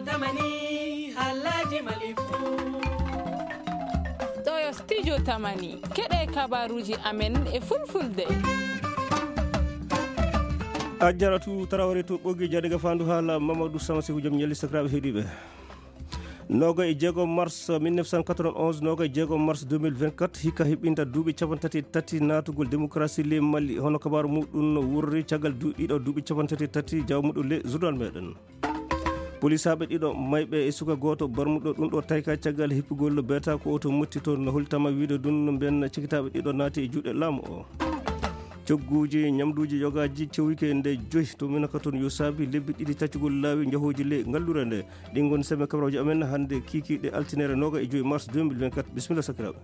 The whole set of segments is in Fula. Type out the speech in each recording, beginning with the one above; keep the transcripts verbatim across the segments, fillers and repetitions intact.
Tamani, Alhaji Malifu. Ɗo yo Studio Tamani. Keɗe kabaruji amen e fulfulde. A jaratu Taraware to ɓoggi jade ga fandu hala Mamadou Sama Sekou Diom ñalli sakiraɓe heɗiɓe. Noga e jeego mars mille neuf cent quatre-vingt-onze, noga e jeego mars deux mille vingt-quatre, hikka hiɓɓinta duuɓi capanɗe tati e tati naatugol démocratie ley Mali, hono kabaaru muɗum wurri caggal du-, ɗiɗo duuɓi capanɗe tati e tati, jawmuɗo le journal meɗen. Polisaaɓe ɗiɗo mayɓe e suka gooto barmuɗo ɗum ɗo tayka caggal hippugol beeta ko oto motti toon no holtama wiide ɗum no mbiyen cikitaaɓe ɗiɗo naati e juuɗe laamu o. Cogguuji ñamduuji yogaaji cewike nde joyi to Minaka toon yo saabi lebbi ɗiɗi taccugol laawi njahooji ley ngallure nde. Ɗin ngoni semme kabarooji amen hannde kiikiiɗe altinere noga e joyi mars deux mille vingt-quatre. Bisimilla sakiraaɓe.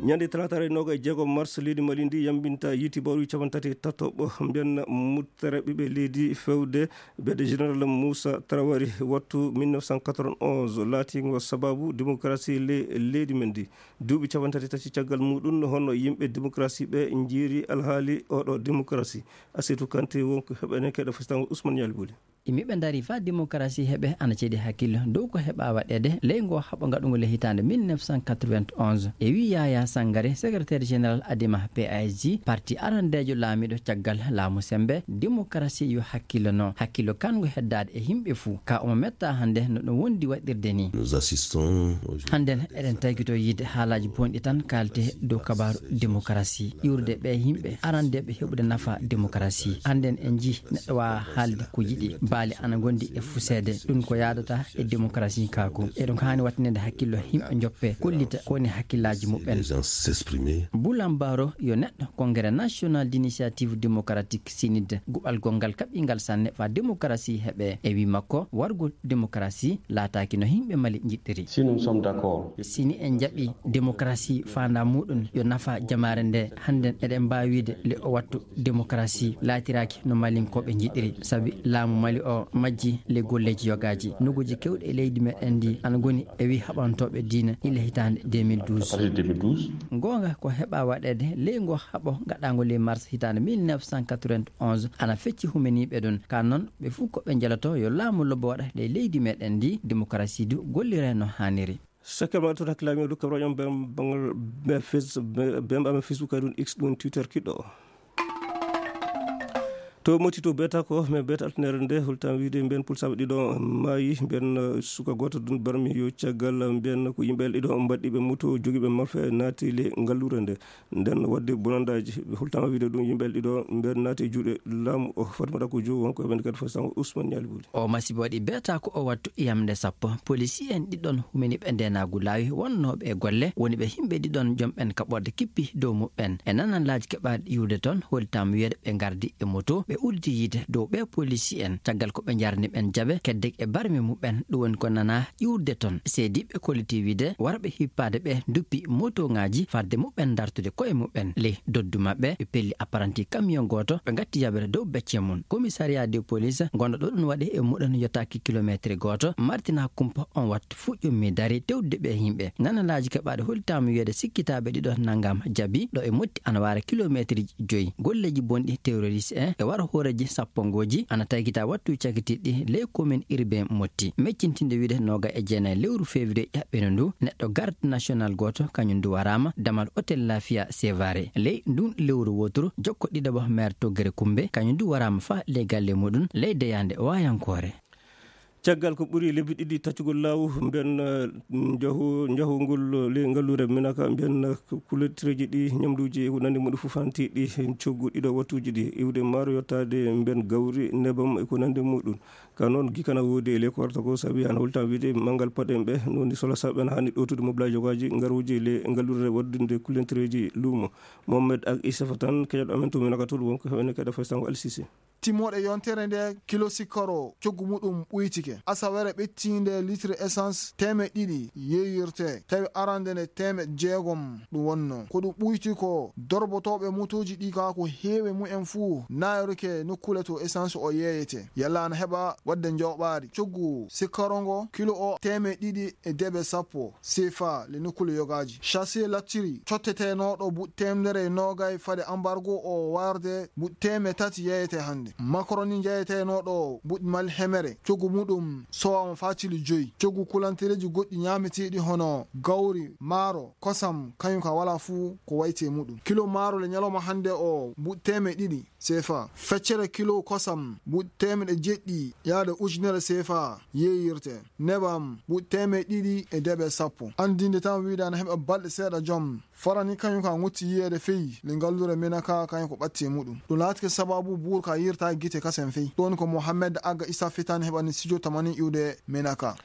Ñande talaata noga e jeego mars leydi Mali ndi yambinta yiiti bawɗi capanɗe tati e tatoɓo mbiyen muttere ɓiɓɓe leydi fewde bede général Moussa Traoré wattu mille neuf cent quatre-vingt-onze laatingo sababu démocratie le-, leydi men ndi. Duuɓi capanɗe tati e tati caggal muɗum hono yimɓe démocratie ɓe njiiri alhaali oɗo démocratie. Asitu Kanté wonko heɓene keɗe fasitango Ousmane Ñaali Boli. Yimɓe dari fa démocratie heɓe ana ceeɗi hakkille dow ko heɓa waɗede ley ngo haɓo ngaɗungo le hitaande mille neuf cent quatre-vingt-onze. E wi Yaya Sangare, secrétaire général Adema P A S J, parti arandeejo laamiɗo caggal laamu sembe, démocratie yo hakkille no. Hakkille kan ngo heddaade e yimɓe fuu. Ka omo metta hannde no ɗum wondi waɗirde ni. Nous assistons aujourd'hui. Hannden eɗen taykito yiide haalaaji bonɗi tan kaalte dow kabaaru démocratie. Iwrude ɓe yimɓe arandeeɓe heɓude nafa démocratie. Hannden en njii neɗɗo waawa haalde ko yiɗi. Baali ana ngondi e fuseede. Ɗum ko yaadata e démocratie kaako. Eɗum haani wattinede hakkillo yimɓe njoppe, kollita ko woni hakkillaaji muɓɓen. Les gens s'exprimer. Bulan Baro yo neɗɗo Congrès National d'Initiative Démocratique, sinide guɓal gonngal kaɓɓingal sanne fa démocratie heɓe. E wi makko, wargol démocratie laataaki no yimɓe Mali njiɗɗiri. Si nous sommes d'accord. Si ni en njaɓi démocratie faanda muɗum yo nafa jamaare nde, hannden eɗen mbaawi wiide le o wattu démocratie laatiraaki no Malinkooɓe njiɗɗiri, sabi laamu Mali o majji le golleeji yogaaji. Noguuji kewɗi e leydi meɗen ndi ana ngoni e wi haɓantooɓe diina ila hitaande deux mille douze. À partir de deux mille douze. Ngoonga ko heɓa waɗeede ley ngo haɓo gaɗaango ley mars hitaande mille neuf cent quatre-vingt-onze ana fecci humaniiɓe ɗon. Ka noon, ɓe fuu ko ɓe njaloto yo laamu lobbo waɗa ley leydi meɗen ndi, démocratie du gollira no haaniri. Sekke ma toon hakkilaaji men, rokka rajo am bem-, bangal bem-, Face-, bem-, bem-, amen Facebook, kadi ɗum X, ɗum Twitter kiɗɗo o. To Moti to beeta ko, mais beeta altinere nde, holtam wiide mbiyen pulsaaɓe ɗiɗo maayi, mbiyen, eh, suka gooto ɗum barmi yo caggal, mbiyen ko yimɓe ɗiɗo mbaɗɗiiɓe moto, jogiiɓe marfe naati le ngallure nde. Nden waɗde bonandaaji, holtama wiide ɗum yimɓe ɗiɗo mbeɗa naati e juuɗe laamu o. Fatmata ko Jow, wonko e vingt-quatre Fos tan, Ousmane Ñaali Buli. O masibo waɗi beeta ko o wattu yamde sappo. Polisi en ɗiɗon humini ɓe ndeenaagu laawi wonnooɓe e golle, woni ɓe yimɓe ɗiɗon jom ɓen kaɓorde kippi dow muɓɓen. E nananlaaji keɓaaɗi iwde toon, holtama wiyeede ɓe ngardi e moto, ɓe uddi yiide dow ɓe polisi en. Caggal ko ɓe njarni ɓen jaɓe, kedde e barmi muɓɓen, ɗum woni ko nanaa iwde toon. Seediiɓe kolliti wiide warɓe hippaade ɓe nduppi motoŋaaji fadde muɓɓen dartude koye muɓɓen. Ley doddu maɓɓe, ɓe pelli apparanti kamiyon gooto, ɓe ngatti jaɓere dow becce mum. Komisariyaa de polis gonɗo ɗo ɗum waɗi e muɗum yottaaki kilomeetiri gooto, martina kumpa on wattu fuu ƴummi dari tewde ɓe yimɓe. Nanalaaji keɓaaɗi holtaama wiyeede sikkitaaɓe ɗiɗo nanngam jabi ɗo e motti ana waara kilomeetiri joyi. Golleeji bonɗi terroriste en e wara hooreeji sappongooji ana taykita wattu cakitiiɗi ley commune urbain Motti. Meccintinde wiide nooga e jeenayi lewru février ƴaɓɓino ndu, neɗɗo garde national gooto kañum ndu waraama damal hôtel Lafia Sevare. Ley ndun lewru wooturu, jokko ɗiɗaɓo maire to Gere Kumbe, kañum ndu waraama faa ley galle muɗum ley deyaande waayankoore. Caggal ko ɓuri lebbi ɗiɗi taccugol laawu, mbiyen, eh, njahu-, njahugol ley ngalluure Minaka, mbiyen, eh, kuletireeji ɗi, ñamduuji e ko nanndi muɗum fof fantiiɗi heen coggu ɗiɗo wattuuji ɗi, iwde maaro yottaade mbiyen gawri, nebam e ko nanndi muɗum. Ka noon, gikana woodi e ley ko warata ko, sabi ana holta wiide manngal paɗen ɓe, no woni sola saɓen haani ɗowtude moblaaji yogaaji ngaruuji ley ngalluure waɗdude kulentireeji luumo. Mohamed ak Issafa tan, keñoɗo amen to Minaka toon, wonko heɓene kadi Fastango Alsisi. Timmooɗe yontere nde, kilo sikkoro coggu muɗum ɓuytike. Asawere ɓettiinde litre essence teemeɗɗe ɗiɗi yeeyirte, tawi arande nde teemeɗɗe jeegom ɗum wonno. Ko ɗum ɓuyti ko dorbotooɓe motooji ɗi ka ko heewi mumen fuu naayorke nokkuule to essence o yeeyete. Yalla ana heɓa waɗde njooɓaari. Coggu sikkoro ngo kilo o teemeɗɗe ɗiɗi e debe sappo. Sefa le nokkuule yogaaji. Chassé lacciri cottetenooɗo buuɗi teemedere e noogay fade ambargo o warde buuɗi teemeɗɗe tati yeeyete hannde. Makaroni njayetenooɗo buɗɗi mali hemere, cogu muɗum sowaama faa cili joyi. Cogu kulantereeji goɗɗi ñaameteeɗi hono gawri, maaro, kosam, kañum ka walaa fuu ko wayti e muɗum. Kilo maaro le ñalawma hannde o buɗɗi teemeɗe ɗiɗi seefa. Feccere kilo kosam buɗɗi teemeɗe jeɗɗi yaade ujunere seefa yeeyirte. Nebam buɗɗi teemeɗe ɗiɗi e deeɓe sappo. Anndinde tan wiide ana heɓa balɗe seeɗa joom. Farani kañum ka ŋutti yiyeede fey le ngallure Menaka kañum ko ɓatti e muɗum. Ɗum laatike sababu buur ka yirta gite kasen fey. Ɗon ko Mohamed Aga Issa Fitani heɓani studio tamani iwde Menaka.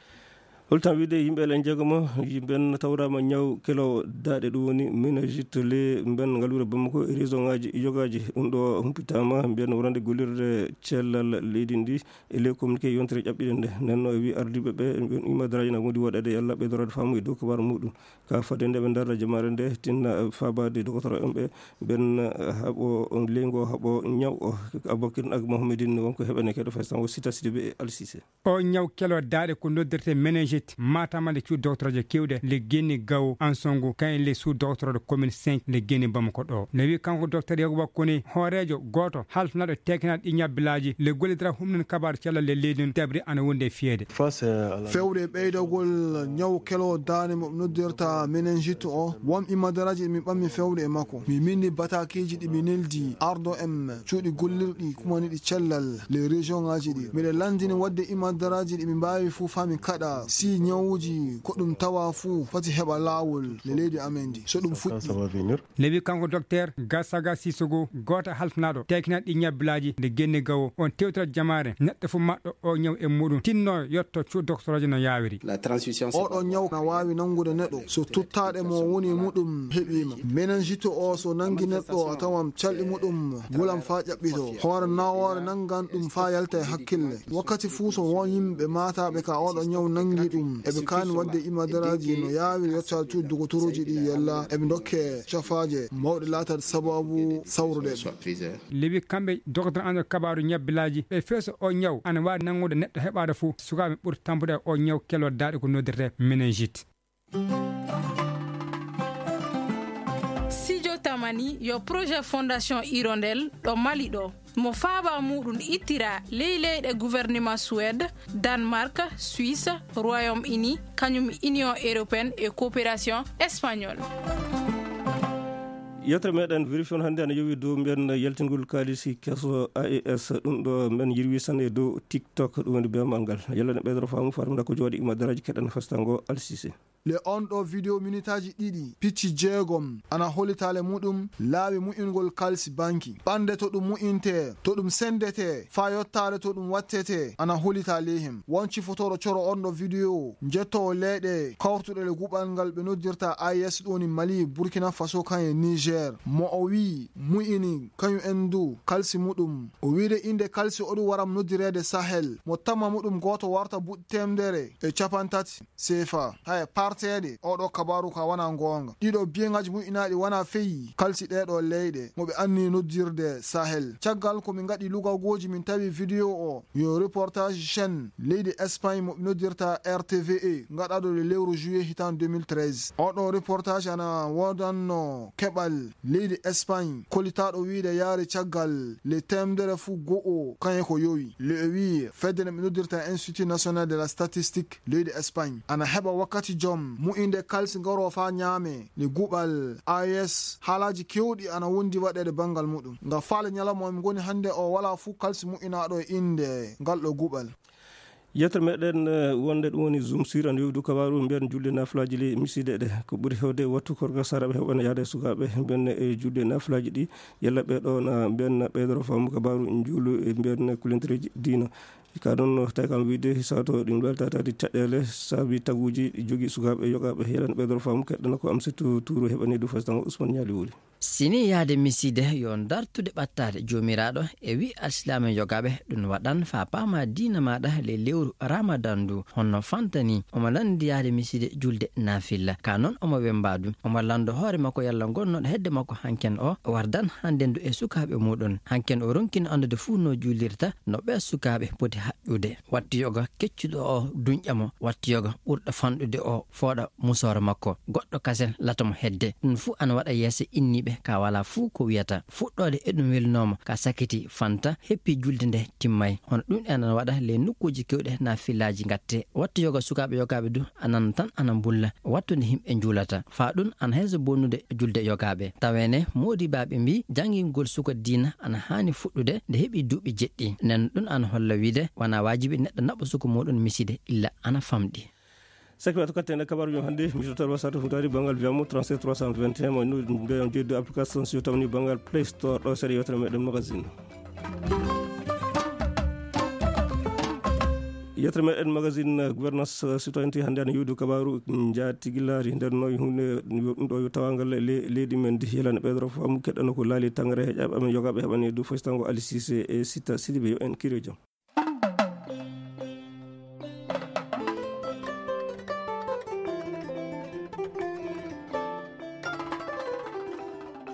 Holtan wiide yimɓe le njeegomo, yimɓe en tawraama ñaw kelo daaɗe, ɗum woni meningite le mben ngallure Bamako e région ŋaaji yogaaji. Ɗum ɗo humpitaama mbiyen wonande gollirde cellal leydi ndi e ley communiqué yontere ƴaɓɓiɗe nde. Nden no e wi ardiiɓe ɓe, mbiyen imadaraaji na wondi waɗeede yalla ɓeydoraade faamu e dow kabaru muɗum. Ka fadde nde ɓe ndarra jamaare nde, tinna faabaade dogotoro en ɓe, ɓen haɓo leygo haɓo ñaw o. Abubakar ak Mohamedin wonko heɓanekeɗo faysan o Sita Sidibe e Alsise. O ñaw kelo daaɗe ko noddirte meningite, matamale cuuɗi doctorooje kewɗe, le Guinée Gao, Ansongo, kayen le sous doctorooɗo commune cinq, le Guinée Bamako ɗo. Ne wi kanko docteur Yakuba Kone, hooreejo gooto halfnaɗo tekinal ɗi ñabbilaaji, le gollidira humnin kabaru cellal le leydi, dabri ana wonde fiyeede. Fewde e ɓeydagol ñaw kelo daane mo noddirta meningite o, won imadaraaji ɗi mi ɓammi fewde e makko. Mi mindi batakeeji ɗi mi neldi ardo en cuuɗi gollirɗi kumaniɗi cellal le région ŋaaji ɗi. Miɗe landini wadde imadaraaji ɗi mi mbaawi fuu faa mi kaɗa si ñawuuji ko ɗum tawa fuu foti heɓa laawol le leydi amen ndi. So ɗum fuɗɗi. Newi kanko docteur Gasaga Sissoko, gooto halfnaɗo tekinal ɗi ñabbilaaji nde Guinée Gao, on tewtira jamaare neɗɗo fof maɗɗo o ñaw e muɗum, tinno yotto cuuɗi doctorooje no yaawiri. Oɗo ñaw na waawi nanngude neɗɗo so tuttaɗe mo woni muɗum heɓiima. Meningite o so nanngi neɗɗo a tawan calɗi muɗum wulan faa ƴaɓɓito. Hoore nawoore nanngan ɗum faa yalta e hakkille. Wakkati fuu so won yimɓe maataɓe ka oɗo ñaw nanngi ɗum, eɓe kaani wadde imadaraaji no yaawiri yottaade cuuɗi dogotorooji ɗi yalla eɓe ndokke cafaaje mawɗe laataade sababu sawrude ɓe. Lewi kamɓe docteur an kabaaru ñabbilaaji ɓe feeso o ñaw ana waawi nanngude neɗɗo heɓaade fof sukaaɓe ɓuri tampude o ñaw kelo daaɗe ko noddirte meningite. Sijo Tamani yo projet Fondation Hirondelle ɗo Mali ɗo. Mo faaba muɗum ittira ley leyɗe gouvernement Suède, Danemark, Suisse, Royaume-Uni, kañum Union Européenne e Coopération Espagnole. Yettere meɗen vérifion hannde ana yowi dow mbiyen yaltingol kaalisi keso A E S, ɗum ɗo men yirwi tan e dow TikTok, ɗum woni bemal ngal. Yalla ne ɓeydoro faamu farimda ko jooɗi imadaraaji keɗen fastango Alsise. Le on ɗo video minitaaji ɗiɗi, picci jeegom ana holitaale muɗum laawi mu'ingol kalsi banki. Ɓannde to ɗum mu'intee, to ɗum senndetee, faa yottaade to ɗum wattetee, ana holitaa ley him. Won cifotooɗo coro on ɗo video, njettoowo leyɗe kawrtuɗe le guɓal ngal ɓe noddirta A E S ɗo ni Mali, Burkina Faso, kan e Niger. Mo o wii mu'ini kañum en du kalsi muɗum. O wiide innde kalsi o ɗum waram noddireede Sahel. Mo tamma muɗum gooto warta buɗ temedere e capantati. Seefa. Haya, parteede oɗo kabaaru ka wana ngoonga. Ɗiɗo biyeŋaaji mu'inaaɗi wana feyi kalsi ɗeeɗo leyɗe mo ɓe anni noddirde Sahel. Caggal ko min ngaɗi lugagooji min tawi video o yo reportage chaîne leydi Espagne mo ɓe noddirta R T V E ngaɗaɗo le lewru juillet hitan deux mille treize. Oɗo reportage ana woodanno keɓal leydi Espagne kolitaaɗo wiide yaari caggal le temedere fuu go'o kañe ko yowi. Le o wii fedde nde ɓe noddirta Institut National de la Statistique leydi Espagne ana heɓa wakkati joom mu'inde kalsi ngaro faa ñaame le guɓal A E S. Haalaaji keewɗi ana wondi waɗeede banngal muɗum. Nga faale ñalawma o mi ngoni hannde o walaa fuu kalsi mu'inaaɗo e innde ngal ɗo guɓal. Yettere meɗen, eh, wonde ɗum woni Zoom sur ana yowi du kabaaru mbiyen julde nafilaaji le misiide ɗe. Ko ɓuri hewde wattu korka saraɓe heɓana yaade e sukaaɓe mbiyen e julde nafilaaji ɗi. Yalla ɓe ɗo na mbiyen ɓeydoro faamu kabaaru njuulu e mbiyen kulentereeji diina. Ka ɗon no tawi kam wiide sato ɗum weltataade caɗeele saabi taguuji jogi sukaaɓe yogaaɓe. Yalla ɓeydoro faamu keɗɗana ko am sittu tuuru heɓani du fastan Ousmane Ñaali wuli. Sini yahde misiide yo dartude ɓattaade Joomiraaɗo e wi alsilaame yogaaɓe ɗum waɗan faa paama diina maaɗa ley lewru Ramadan ndu honno fantani. Omo lanndi yahde misiide julde naafilla. Ka noon omo wemba du. Omo lanndo hoore makko yalla ngonnoɗo hedde makko hanken o wardan hannde ndu e sukaaɓe muɗum. Hanken o ronkino anndude fuu no juulirta, no ɓee sukaaɓe poti Haƴƴude. Wattu yoga keccuɗo o duñƴa mo, wattu yoga ɓurɗo fanɗude o fooɗa musooro makko, goɗɗo kasen lata mo hedde. Ɗum fuu ana waɗa yeeso inniiɓe ka walaa fuu ko wiyata. Fuɗɗoode e ɗum welnoo mo, ka sakiti fanta, heppi julde nde timmay. Hono ɗum en ana waɗa ley nokkuuji keewɗe naafilaaji ngatte. Wattu yoga sukaaɓe yogaaɓe du anan tan ana mbulla wattu nde yimɓe njuulata. Faa ɗum ana heeso bonnude julde yogaaɓe. Taweene moodibaaɓe mbii janngingol suka diina ana haani fuɗɗude nde heɓi duuɓi jeɗɗi. Nden ɗum ana holla wiide wanaa waajibi neɗɗo naɓa suka muuɗum miside illa ana famɗi. Sakki wato katte nde kabaruji hannde, mi total wasata fu taari banngal biyamo trente-sept trois cent vingt et un, mo no mbeyon jeddu application si tawni banngal Play Store ɗo seeɗa yewtere meɗen magazine. Yewtere meɗen magazine, gouvernance, eh, citoyenneté hannde ana yewdu kabaru njaatigilari nder noy hunde ɗum ɗo yo tawangal le-, leydi men ndi yelana ɓeydoro faamu keɗɗano ko laali tangare heƴaɓe amen yogaɓe heɓani du foytango Ali Cissé e Sita Sidibé yo en kiri jam.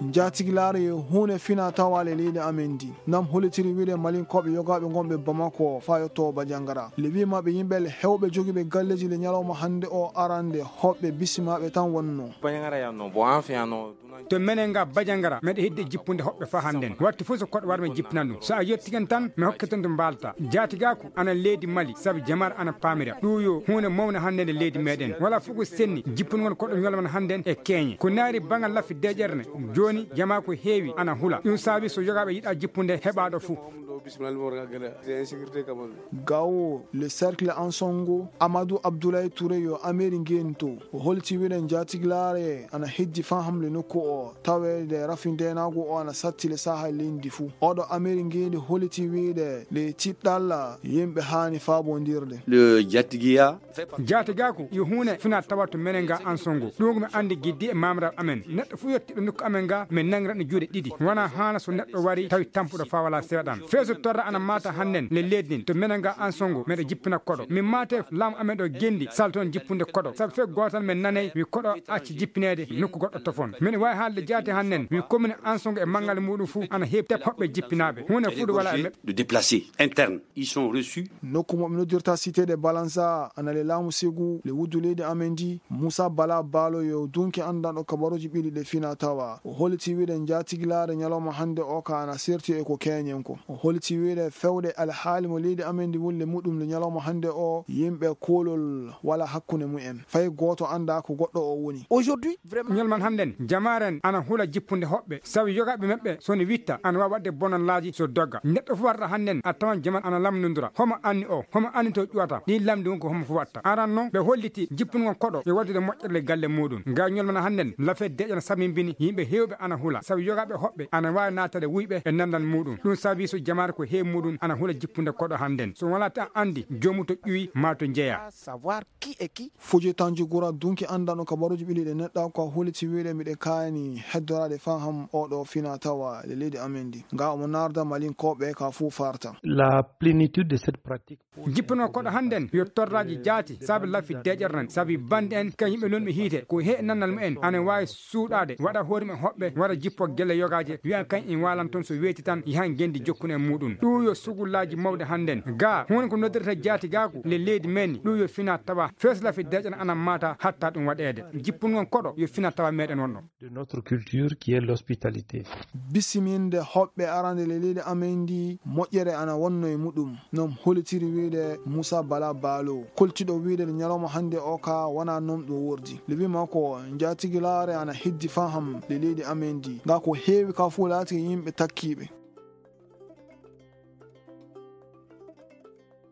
Njaatigilaare yo huunde fina tawaale leydi amen ndi. Nam holitiri wiide Malinkooɓe yogaaɓe ngonɓe Bamako faa yotto Bajangara. Le wii maɓɓe yimɓe le hewɓe jogiiɓe galleeji le ñalawma hannde o arande hoɓɓe bisimaaɓe tan wonnoo. To menen nga Bajangara, meɗe heddi jippunde hoɓɓe faa hannden. Wattu fof so koɗo war men jippinandu. So a yettiken tan, mi hokke ton to mbaalta. Jaatigaaku ana leydi Mali, sabu jamaare ana paamira. Ɗum yo huunde mawnde hannden e leydi meɗen. Wala fof ko senni, jippungol koɗo ñolman hannden e keeñe. Ko naari bangal laffi deeƴere ne, jooni jamaa ko heewi ana hula. Ɗum saabi so yogaaɓe yiɗa jippunde heɓaaɗo fof. Gawo, le cercle Ansongo, Amadou Abdoulaye Touré yo Ameri ngento. O holti wiide njaatigilaare ana heddi faa hamle nokku o, taweede rafi ndeenaagu o ana satti le sahaa leydi fuu. Oɗo Ameri ngendi holti wiide le tiɗɗalla yimɓe haani faabondirde. Le Jatigiya. Jaatigaaku yo huunde fina tawa to menen nga Ansongo. Ɗum ko mi anndi giddi e maamraaɓe amen. Neɗɗo fof yettiiɗo nokku amen nga, min nanngiran ɗum juuɗe ɗiɗi. Wonaa haana so neɗɗo wari tawi tampuɗo faa walaa seeɗan. Fee so torra ana maata hannden le leydi ndin to menen nga Ansongo, meɗa jippina koɗo. Min maate laamu amen ɗo gendi sal toon jippunde koɗo. Sabu fee gootal men nanay wi koɗo acci jippineede nokku goɗɗo tofon. Min waawi haalde jaati hannden wi commune Ansongo e manngal muuɗum fuu ana heewi tep hoɓɓe jippinaaɓe. Huunde fuu ɗo walaa e meɓɓe. De déplacer interne. Ils sont reçus. Nokku mo ɓe noddirta Cité de Balanza, ana le laamu Segu, le wuddu leydi amen ndi, Moussa Bala Balo yo dunki anndanɗo kabaruuji ɓiɗi ɗe fina tawa. O holiti wiide njaatigilaare ñalawma hannde o ka ana serti e ko keeñen ko. O holiti wiide fewde alhaali mo leydi amen ndi woni le muɗum le ñalawma hannde o, yimɓe koolol wala hakkunde mumen. Fay gooto anndaa ko goɗɗo o woni. Aujourd'hui, vraiment. Ñalman hannden, jamaaren ana hula jippunde hoɓɓe, sabu yogaaɓe maɓɓe so ne witta, ana waawi waɗde bonannaaji so dogga. Neɗɗo fof warata hannden, a tawan jaman ana lamndondira. Homo anni o, homo anni to ƴuwata? Ɗiin lamndi won ko homo fof watta. Aran noon, ɓe holliti jippungol koɗo e waɗude moƴƴere galle muuɗum. Nga ñolmana hannden, lafet deƴana sambimbini yimɓe heewɓe ana hula, sabu yogaaɓe hoɓɓe ana waawi naatade wuyɓe e nanndal muuɗum. Ɗum saabi so jamaare ko heewi muuɗum ana hula jippunde koɗo hannden. So wonaa tan anndi joomu to ƴuwi maa to njeyaa. Savoir qui est qui. Fuje Tanjugura dunki anndano kabaruuji ɓili ɗe neɗɗa ko a huliti wiide miɗe kaani heddoraade faham oɗo fina tawa le leydi amen ndi. Nga omo narda Malinkooɓe ka fuu farta. La plénitude de cette pratique. Jippuno koɗo hannden yo torraaji jaati, sabi laffi deƴere nan, sabi bandi en, ka yimɓe nonɓe hiite, ko he nannal mumen, ana waawi suuɗaade, waɗa hoore mum hoɓɓe, waɗa jippo gelle yogaaje, wiya kañ en waalan toon so weeti tan, yahan ngenndi jokkunu e muuɗum. Ɗum yo sugullaaji mawɗi hannden. Gaa, huunde ko noddirta jaati gaaku, le leydi men, ɗum yo fina tawa, fees laffi deƴere ana maata, hatta ɗum waɗeede. Jippun ngon koɗo, yo fina tawa meɗen wonno. De notre culture qui est l'hospitalité. Bisiminde hoɓɓe arande le leydi amen ndi, moƴƴere ana wonno e muɗum. Noon holitiri wiide Moussa Bala Balo, koltiɗo wiide le ñalawma hannde o ka wona noon ɗum wordi. Le wima ko njatigilaare ana heddi faham le leydi amen ndi. Nga ko heewi ka fuu laati yimɓe takkiiɓe.